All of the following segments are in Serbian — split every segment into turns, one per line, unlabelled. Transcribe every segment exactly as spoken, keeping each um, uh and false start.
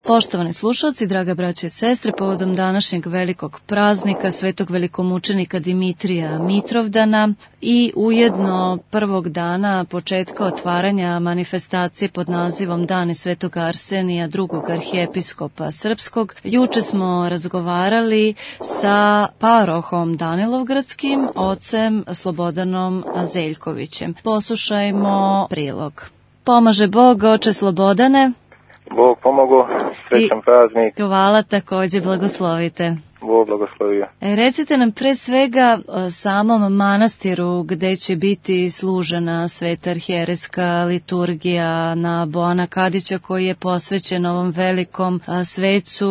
Poštovani slušalci, draga braće i sestre, povodom današnjeg velikog praznika svetog velikomučenika Dimitrija Mitrovdana i ujedno prvog dana početka otvaranja manifestacije pod nazivom Dani svetog Arsenija, drugog arhijepiskopa srpskog, juče smo razgovarali sa parohom Danilovgradskim, ocem Slobodanom Zeljkovićem. Poslušajmo prilog. Pomaže Bog, oče Slobodane.
Bog pomogu, srećan praznik.
Hvala, takođe blagoslovite.
Bog blagoslovio.
E, recite nam pre svega o samom manastiru gde će biti služena sveta arhijerejska liturgija na Boana Kadića, koji je posvećen ovom velikom svecu,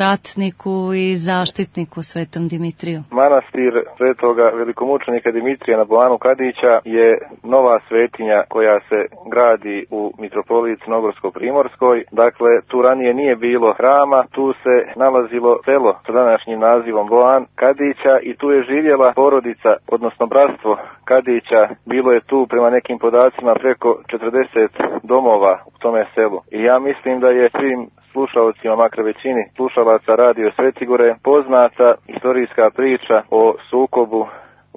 ratniku i zaštitniku svetom Dimitriju.
Manastir svetoga velikomučenika Dimitrija na Boanu Kadića je nova svetinja koja se gradi u mitropoliji Crnogorsko-Primorskoj. Dakle, tu ranije nije bilo hrama, tu se nalazilo selo sa današnjim nazivom Boan Kadića i tu je živjela porodica, odnosno bratstvo Kadića. Bilo je tu prema nekim podacima preko četrdeset domova u tome selu. I ja mislim da je svim slušalcima, makar većini slušalaca Radio Svetigore, poznata istorijska priča o sukobu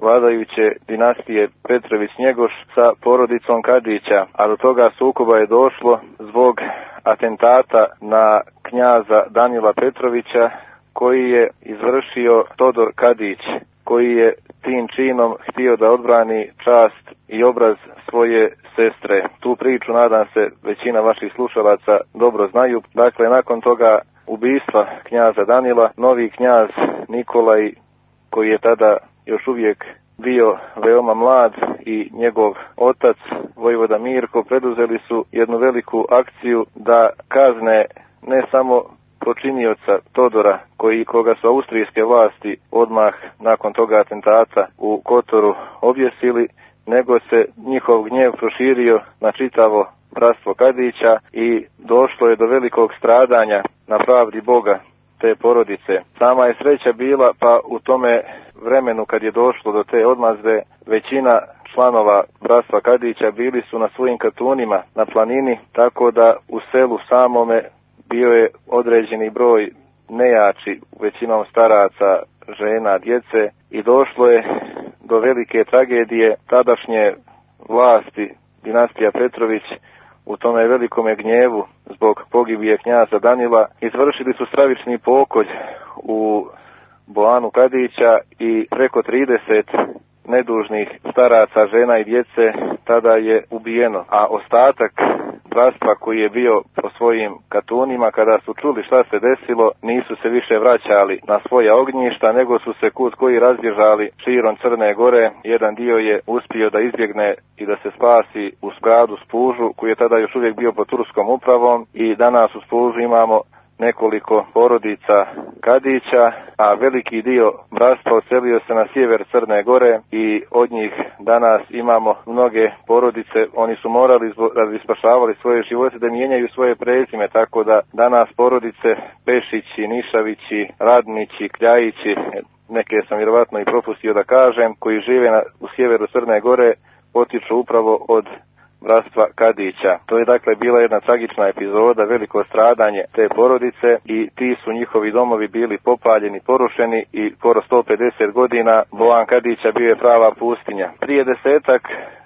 vladajuće dinastije Petrović-Njegoš sa porodicom Kadića, a do toga sukoba je došlo zbog atentata na knjaza Danila Petrovića, koji je izvršio Todor Kadić, koji je tim činom htio da odbrani čast i obraz svoje sestre. Tu priču, nadam se, većina vaših slušalaca dobro znaju. Dakle, nakon toga ubistva knjaza Danila, novi knjaz Nikolaj, koji je tada još uvijek bio veoma mlad, i njegov otac vojvoda Mirko preduzeli su jednu veliku akciju da kazne ne samo počinioca Todora, koji koga su austrijske vlasti odmah nakon toga atentata u Kotoru objesili, nego se njihov gnjev proširio na čitavo bratstvo Kadića i došlo je do velikog stradanja na pravdi Boga te porodice. Sama je sreća bila, pa u tome vremenu kad je došlo do te odmazde, većina članova bratstva Kadića bili su na svojim katunima na planini, tako da u selu samome bio je određeni broj nejači, većinom staraca, žena, djece, i došlo je do velike tragedije. Tadašnje vlasti dinastija Petrović u tome velikome gnjevu zbog pogibije knjaza Danila izvršili su stravični pokolj u Boanu Kadića i preko trideset nedužnih staraca, žena i djece tada je ubijeno, a ostatak bratstva koji je bio po svojim katunima, kada su čuli šta se desilo, nisu se više vraćali na svoja ognjišta, nego su se kud koji razbježali širom Crne Gore. Jedan dio je uspio da izbjegne i da se spasi u gradu Spužu, koji je tada još uvijek bio pod turskom upravom, i danas u Spužu imamo nekoliko porodica Kadića, a veliki dio bratstva odselio se na sjever Crne Gore i od njih danas imamo mnoge porodice. Oni su morali, da bi spašavali svoje živote, da mijenjaju svoje prezime, tako da danas porodice Pešići, Nišavići, Radnići, Kljajići, neke sam vjerovatno i propustio da kažem, koji žive na, u sjeveru Crne Gore, potiču upravo od bratstva Kadića. To je dakle bila jedna tragična epizoda, veliko stradanje te porodice, i ti su njihovi domovi bili popaljeni, porušeni, i skoro sto pedeset godina Boan Kadića bio je prava pustinja. Prije desetak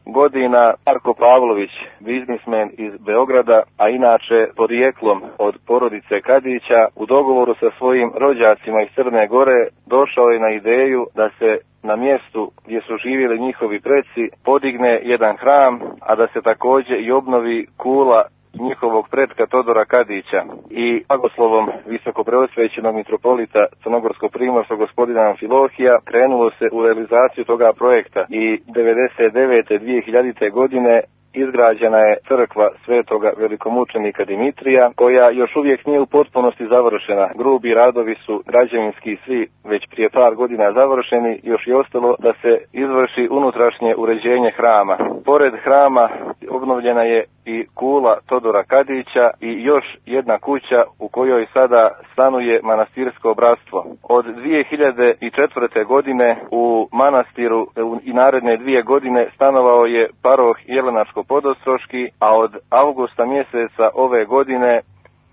godina Marko Pavlović, biznismen iz Beograda, a inače porijeklom od porodice Kadića, u dogovoru sa svojim rođacima iz Crne Gore došao je na ideju da se na mjestu gdje su živjeli njihovi preci podigne jedan hram, a da se također i obnovi kula njihovog pretka Todora Kadića. I blagoslovom visokopreosvećenog mitropolita Crnogorsko-Primorskog gospodina Amfilohija krenulo se u realizaciju toga projekta i devedeset devete. dvije hiljadite. godine izgrađena je crkva svetoga velikomučenika Dimitrija, koja još uvijek nije u potpunosti završena. Grubi radovi su građevinski svi već prije par godina završeni, još je ostalo da se izvrši unutrašnje uređenje hrama. Pored hrama obnovljena je i kula Todora Kadića i još jedna kuća u kojoj sada stanuje manastirsko bratstvo. Od dvije hiljade četvrte. godine u manastiru i naredne dvije godine stanovao je paroh Jelenačko Podostroški, a od avgusta mjeseca ove godine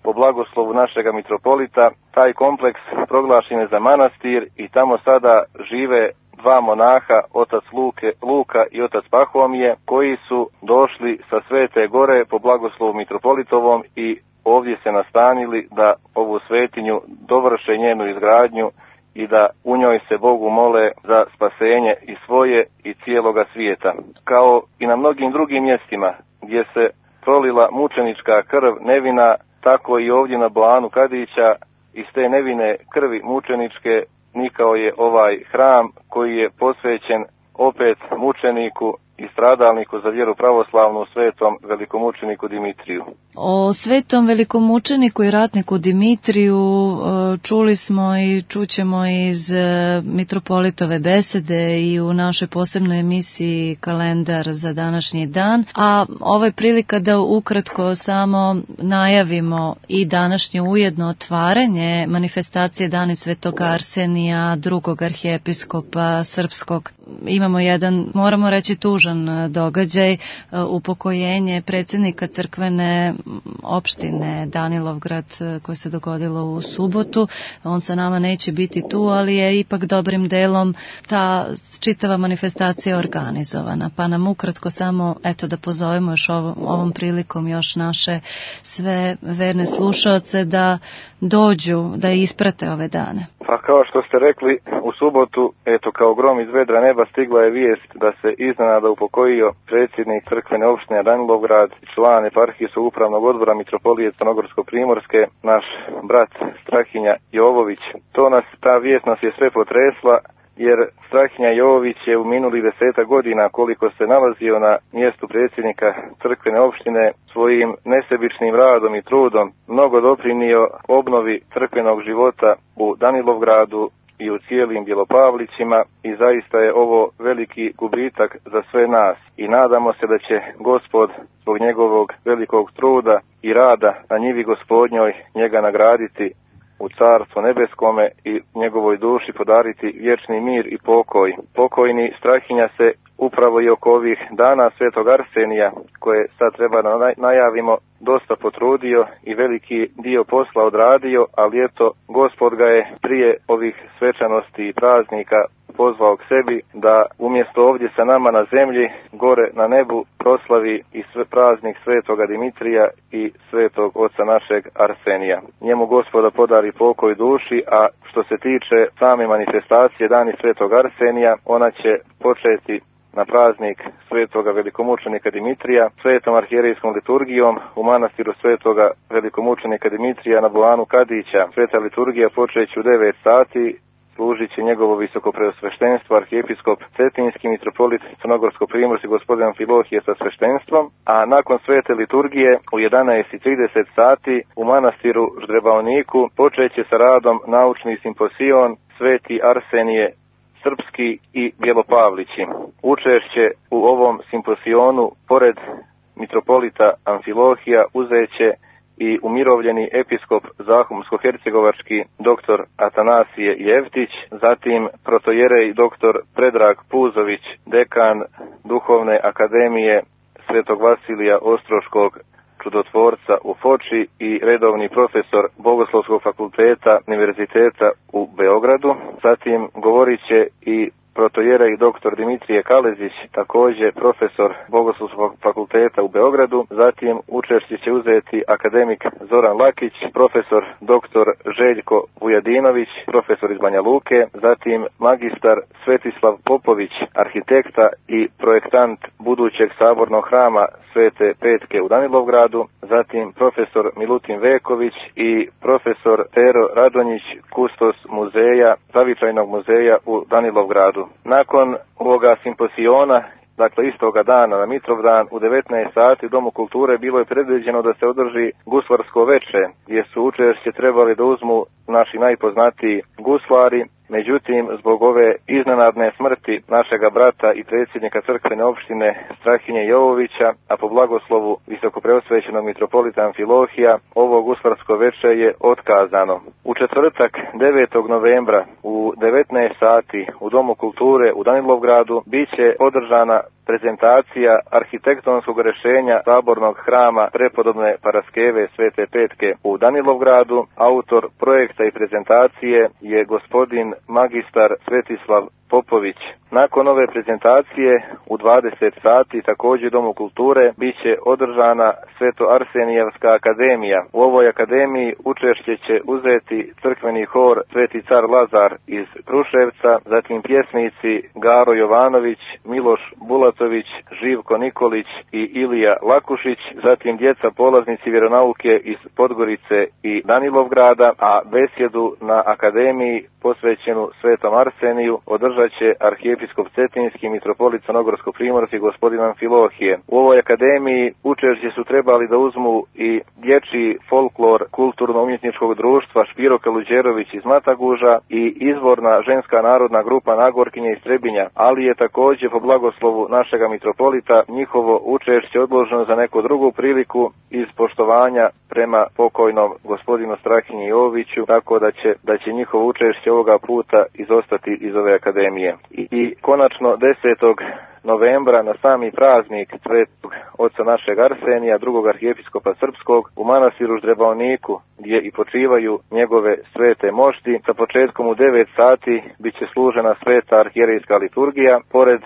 po blagoslovu našega mitropolita taj kompleks proglašen je za manastir i tamo sada žive dva monaha, otac Luke, Luka i otac Pahomije, koji su došli sa Svete Gore po blagoslovu mitropolitovom i ovdje se nastanili da ovu svetinju dovrše njenu izgradnju i da u njoj se Bogu mole za spasenje i svoje i cijeloga svijeta. Kao i na mnogim drugim mjestima gdje se prolila mučenička krv nevina, tako i ovdje na Boanu Kadića iz te nevine krvi mučeničke nikao je ovaj hram koji je posvećen opet mučeniku i stradalniku za vjeru pravoslavnu, svetom velikomučeniku Dimitriju.
O svetom velikomučeniku i ratniku Dimitriju čuli smo i čućemo iz mitropolitove besede i u našoj posebnoj emisiji Kalendar za današnji dan, a ovo je prilika da ukratko samo najavimo i današnje ujedno otvaranje manifestacije Dani Svetog Arsenija, drugog arhijepiskopa srpskog. Imamo jedan, moramo reći, tužan događaj, upokojenje predsjednika crkvene opštine Danilovgrad koje se dogodilo u subotu. On sa nama neće biti tu, ali je ipak dobrim delom ta čitava manifestacija organizovana. Pa nam ukratko samo, eto, da pozovemo još ovom, ovom prilikom još naše sve verne slušaoce da dođu, da isprate ove dane.
Pa kao što ste rekli, u subotu, eto, kao grom iz vedra neba stigla je vijest da se iznenada upokojio predsjednik crkvene opštine Danilovgrad, član eparhijskog upravnog odbora mitropolije Crnogorsko-primorske, naš brat Strahinja Jovović. To nas, ta vijest nas je sve potresla, jer Strahinja Jovović je u minulih deseta godina, koliko se nalazio na mjestu predsjednika crkvene opštine, svojim nesebičnim radom i trudom mnogo doprinio obnovi crkvenog života u Danilovgradu i u cijelim Bjelopavlićima i zaista je ovo veliki gubitak za sve nas i nadamo se da će Gospod zbog njegovog velikog truda i rada na njivi Gospodnjoj njega nagraditi u Carstvu nebeskome i njegovoj duši podariti vječni mir i pokoj. Pokojni Strahinja se upravo i oko ovih dana Svetog Arsenija, koje sad treba da najavimo, dosta potrudio i veliki dio posla odradio, ali eto, Gospod ga je prije ovih svečanosti i praznika pozvao k sebi da umjesto ovdje sa nama na zemlji, gore na nebu proslavi i sve praznik Svetoga Dimitrija i Svetog Oca našeg Arsenija. Njemu Gospoda podari pokoj duši, a što se tiče same manifestacije Dani Svetog Arsenija, ona će početi na praznik Svetoga velikomučenika Dimitrija, svetom arhijerejskom liturgijom u manastiru Svetoga velikomučenika Dimitrija na Boanu Kadića. Sveta liturgija počeće u devet sati, služit će njegovo visokopreosveštenstvo arhijepiskop Cetinski mitropolit Crnogorsko-primorski gospodin Amfilohije sa sveštenstvom, a nakon svete liturgije u jedanaest i trideset sati u manastiru Ždrebaoniku počeće sa radom naučni simposion Sveti Arsenije Srpski i Bjelopavlići. Učešće u ovom simposionu pored mitropolita Amfilohija uzeće i umirovljeni episkop Zahumsko-hercegovački doktor Atanasije Jevtić, zatim protojerej doktor Predrag Puzović, dekan Duhovne akademije Svetog Vasilija Ostroškog čudotvorca u Foči i redovni profesor Bogoslovskog fakulteta Univerziteta u Beogradu. Zatim govorit će i protojerej doktor Dimitrije Kalezić, također profesor Bogoslovskog fakulteta u Beogradu. Zatim učešće će uzeti akademik Zoran Lakić, profesor doktor Željko Vujadinović, profesor iz Banja Luke. Zatim magistar Svetislav Popović, arhitekta i projektant budućeg sabornog hrama Svete Petke u Danilovgradu. Zatim profesor Milutin Veković i profesor Pero Radonjić, kustos muzeja, zavičajnog muzeja u Danilovgradu. Nakon ovoga simposiona, dakle istoga dana na Mitrovdan u devetnaest sati u Domu kulture bilo je predviđeno da se održi guslarsko veče, gdje su učešće trebali da uzmu naši najpoznatiji guslari. Međutim, zbog ove iznenadne smrti našega brata i predsjednika crkvene opštine Strahinje Jovovića, a po blagoslovu visokopreosvećenog mitropolita Amfilohija, ovo guslarsko veče je otkazano. U četvrtak devetog novembra u devetnaest sati u Domu kulture u Danilovgradu bit će održana prezentacija arhitektonskog rješenja sabornog hrama prepodobne Paraskeve Svete Petke u Danilovgradu. Autor projekta i prezentacije je gospodin magistar Svetislav Popović. Nakon ove prezentacije u dvadeset sati također u Domu kulture biće održana Sveto Arsenijevska akademija. U ovoj akademiji učešće će uzeti crkveni hor Sveti car Lazar iz Kruševca, zatim pjesnici Garo Jovanović, Miloš Bulatović, Živko Nikolić i Ilija Lakušić, zatim djeca polaznici vjeronauke iz Podgorice i Danilovgrada, a besjedu na akademiji posvećenu Svetom Arseniju održat će arhijepiskop Cetinski, mitropolit Crnogorsko-primorski gospodin Amfilohije. U ovoj akademiji učešće su trebali da uzmu i dječji folklor kulturno-umjetničkog društva Špiro Kaluđerović iz Mataguža i izvorna ženska narodna grupa Nagorkinje iz Trebinja, ali je također po blagoslovu našega mitropolita njihovo učešće odloženo za neku drugu priliku iz poštovanja prema pokojnom gospodinu Strahinji Joviću, tako da će, da će njihovo učešće ovoga puta izostati iz ove akademije. I, i konačno desetog novembra na sami praznik Svetog oca našeg Arsenija, drugog arhijepiskopa srpskog, u manastiru Ždrebaoniku, gdje i počivaju njegove svete mošti, sa početkom u devet sati bit će služena sveta arhijerejska liturgija. Pored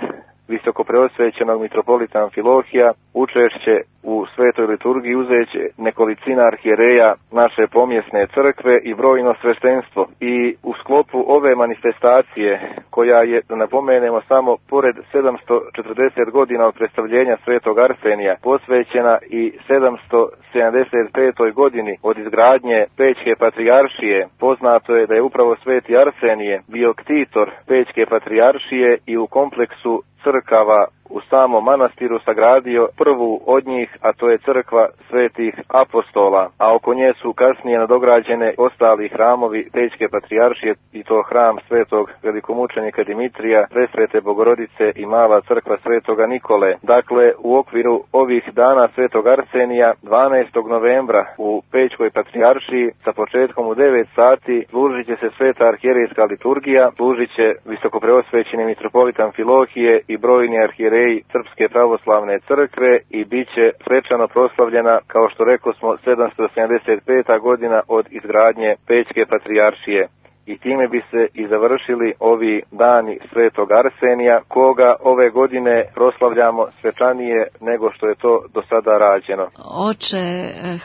visokopreosvećenog mitropolita Amfilohija, učešće u svetoj liturgiji uzeće nekolicina arhijereja naše pomjesne crkve i brojno sveštenstvo. I u sklopu ove manifestacije, koja je, da napomenemo, samo pored sedamsto četrdeset godina od predstavljenja Svetog Arsenija, posvećena i sedamsto sedamdeset petoj godini od izgradnje Pećke patrijaršije, poznato je da je upravo Sveti Arsenije bio ktitor Pećke patrijaršije i u kompleksu crkava u samom manastiru sagradio prvu od njih, a to je crkva Svetih apostola, a oko nje su kasnije nadograđene ostali hramovi Pećke patrijaršije, i to hram Svetog velikomučenika Dimitrija, Presvete Bogorodice i mala crkva Svetoga Nikole. Dakle, u okviru ovih dana Svetog Arsenija, dvanaestog novembra u Pećkoj patrijaršiji sa početkom u devet sati služit će se sveta arhijerejska liturgija, služit će visokopreosvećeni mitropolit Amfilohije i brojni arhijereji Srpske pravoslavne crkve i bit će svečano proslavljena, kao što rekao smo, sedamsto sedamdeset peta godina od izgradnje Pećke patrijaršije. I time bi se i završili ovi dani Svetog Arsenija, koga ove godine proslavljamo svečanije nego što je to do sada rađeno.
Oče,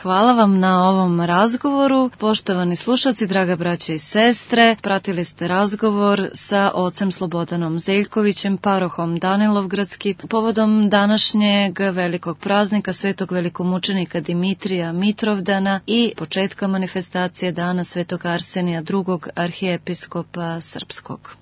hvala vam na ovom razgovoru. Poštovani slušalci, draga braće i sestre, pratili ste razgovor sa ocem Slobodanom Zeljkovićem, parohom Danilovgradski, povodom današnjeg velikog praznika Svetog velikomučenika Dimitrija Mitrovdana i početka manifestacije dana Svetog Arsenija, drugog arhijepiskopa srpskog.